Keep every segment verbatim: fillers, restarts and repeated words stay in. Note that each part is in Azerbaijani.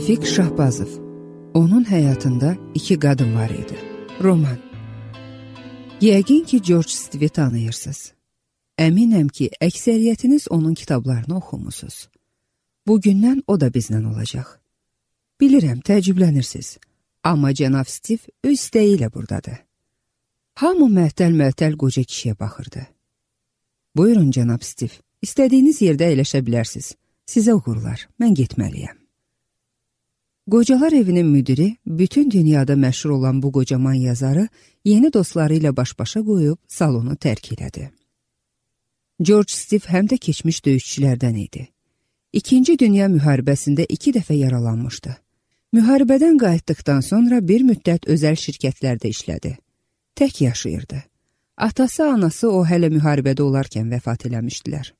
Rafiq Şahbazov. Onun həyatında iki qadın var idi. Roman. Yəqin ki, George Stive'i tanıyırsınız. Əminəm ki, əksəriyyətiniz onun kitablarını oxumusunuz. Bugündən o da bizlə olacaq. Bilirəm, təəccüblənirsiniz. Amma cənab Steve öz istəyi ilə buradadır. Hamı məhtəl-məhtəl qoca kişiyə baxırdı. Buyurun, cənab Steve, istədiyiniz yerdə əyləşə bilərsiniz. Sizə uğurlar, mən getməliyəm. Qocalar evinin müdiri, bütün dünyada məşhur olan bu qocaman yazarı yeni dostları ilə baş-başa qoyub salonu tərk elədi. George Steve həm də keçmiş döyüşçülərdən idi. İkinci Dünya müharibəsində iki dəfə yaralanmışdı. Müharibədən qayıtdıqdan sonra bir müddət özəl şirkətlərdə işlədi. Tək yaşayırdı. Atası, anası o hələ müharibədə olarkən vəfat eləmişdilər.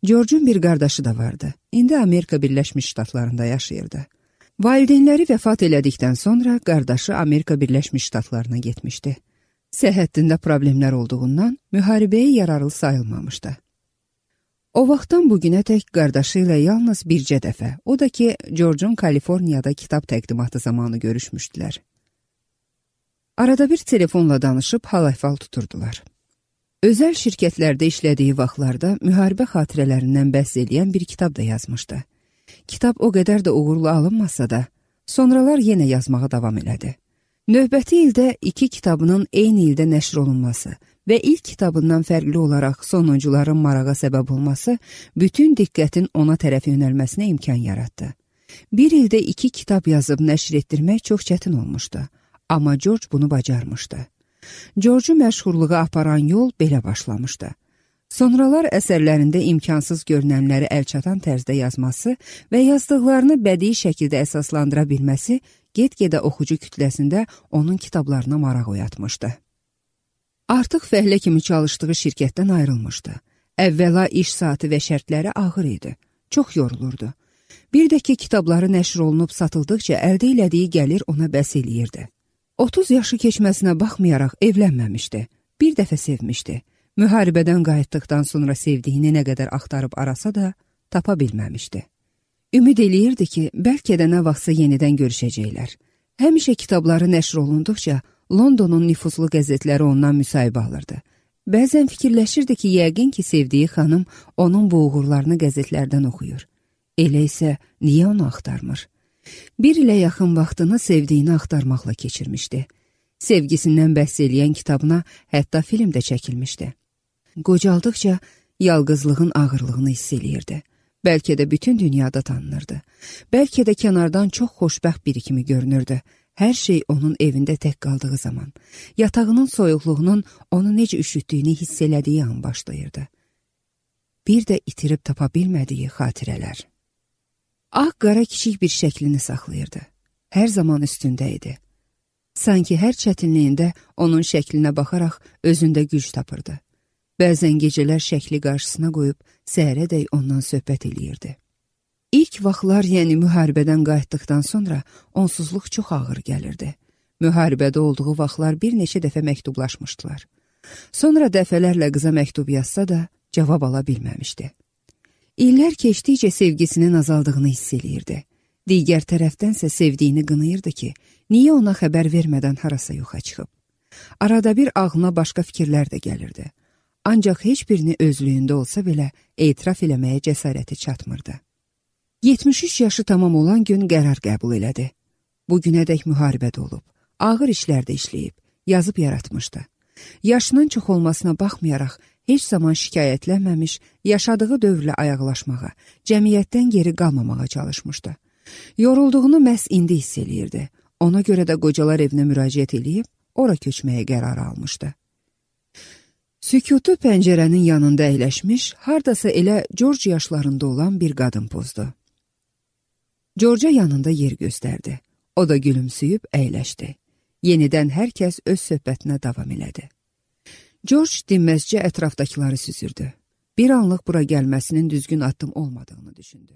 George'un bir qardaşı da vardı. İndi Amerika Birləşmiş Ştatlarında yaşayırdı. Valideynləri vəfat elədikdən sonra qardaşı Amerika Birləşmiş Ştatlarına getmişdi. Səhhətində problemlər olduğundan müharibəyə yararlı sayılmamışdı. O vaxtdan bugünə tək qardaşı ilə yalnız bircə dəfə, o da ki, George'un Kaliforniyada kitab təqdimatı zamanı görüşmüşdülər. Arada bir telefonla danışıb hal-əhval tuturdular. Özəl şirkətlərdə işlədiyi vaxtlarda müharibə xatirələrindən bəhs edən bir kitab da yazmışdı. Kitab o qədər də uğurlu alınmasa da, sonralar yenə yazmağa davam elədi. Növbəti ildə iki kitabının eyni ildə nəşr olunması və ilk kitabından fərqli olaraq sonuncuların marağa səbəb olması bütün diqqətin ona tərəf yönəlməsinə imkan yaratdı. Bir ildə iki kitab yazıb nəşr etdirmək çox çətin olmuşdu, amma George bunu bacarmışdı. George'u məşhurluğa aparan yol belə başlamışdı. Sonralar əsərlərində imkansız görünənləri əlçatan tərzdə yazması və yazdıqlarını bədii şəkildə əsaslandıra bilməsi get-gedə oxucu kütləsində onun kitablarına maraq oyatmışdı. Artıq fəhlə kimi çalışdığı şirkətdən ayrılmışdı. Əvvəla iş saatı və şərtləri ağır idi. Çox yorulurdu. Bir də ki, kitabları nəşr olunub satıldıqca əldə elədiyi gəlir ona bəs eləyirdi. otuz yaşı keçməsinə baxmayaraq evlənməmişdi. Bir dəfə sevmişdi. Müharibədən qayıtdıqdan sonra sevdiyini nə qədər axtarıb arasa da tapa bilməmişdi. Ümid eləyirdi ki, bəlkə də nə vaxtsa yenidən görüşəcəklər. Həmişə kitabları nəşr olunduqca Londonun nüfuzlu qəzetləri ondan müsahibə alırdı. Bəzən fikirləşirdi ki, yəqin ki, sevdiyi xanım onun bu uğurlarını qəzetlərdən oxuyur. Elə isə niyə onu axtarmır? Bir ilə yaxın vaxtını sevdiyini axtarmaqla keçirmişdi. Sevgisindən bəhs eləyən kitabına hətta film də çəkilmişdi. Qocaldıqca yalqızlığın ağırlığını hiss eləyirdi. Bəlkə də bütün dünyada tanınırdı. Bəlkə də kənardan çox xoşbəxt biri kimi görünürdü. Hər şey onun evində tək qaldığı zaman, yatağının soyuqluğunun onu necə üşütdüyünü hiss elədiyi an başlayırdı. Bir də itirib tapa bilmədiyi xatirələr. Ağ-qara kiçik bir şəklini saxlayırdı. Hər zaman üstündə idi. Sanki hər çətinliyində onun şəklinə baxaraq özündə güc tapırdı. Bəzən gecələr şəkli qarşısına qoyub səhərədək ondan söhbət eləyirdi. İlk vaxtlar, yəni müharibədən qayıtdıqdan sonra onsuzluq çox ağır gəlirdi. Müharibədə olduğu vaxtlar bir neçə dəfə məktublaşmışdılar. Sonra dəfələrlə qıza məktub yazsa da cavab ala bilməmişdi. İllər keçdikcə sevgisinin azaldığını hiss eləyirdi. Digər tərəfdənsə sevdiyini qınayırdı ki, niyə ona xəbər vermədən harasa yoxa çıxıb. Arada bir ağlına başqa fikirlər də gəlirdi. Ancaq heç birini özlüyündə olsa belə etiraf eləməyə cəsarəti çatmırdı. yetmiş üç yaşı tamam olan gün qərar qəbul elədi. Bugünədək müharibədə olub, ağır işlərdə işləyib, yazıb yaratmışdı. Yaşının çox olmasına baxmayaraq, heç zaman şikayətlənməmiş, yaşadığı dövrlə ayaqlaşmağa, cəmiyyətdən geri qalmamağa çalışmışdı. Yorulduğunu məhz indi hiss eləyirdi. Ona görə də qocalar evinə müraciət eləyib, ora köçməyə qərar almışdı. Sükutu pəncərənin yanında əyləşmiş, hardasa elə George yaşlarında olan bir qadın pozdu. George'a yanında yer göstərdi. O da gülümsüyüb əyləşdi. Yenidən hər kəs öz söhbətinə davam elədi. George dinməzcə ətrafdakıları süzürdü. Bir anlıq bura gəlməsinin düzgün addım olmadığını düşündü.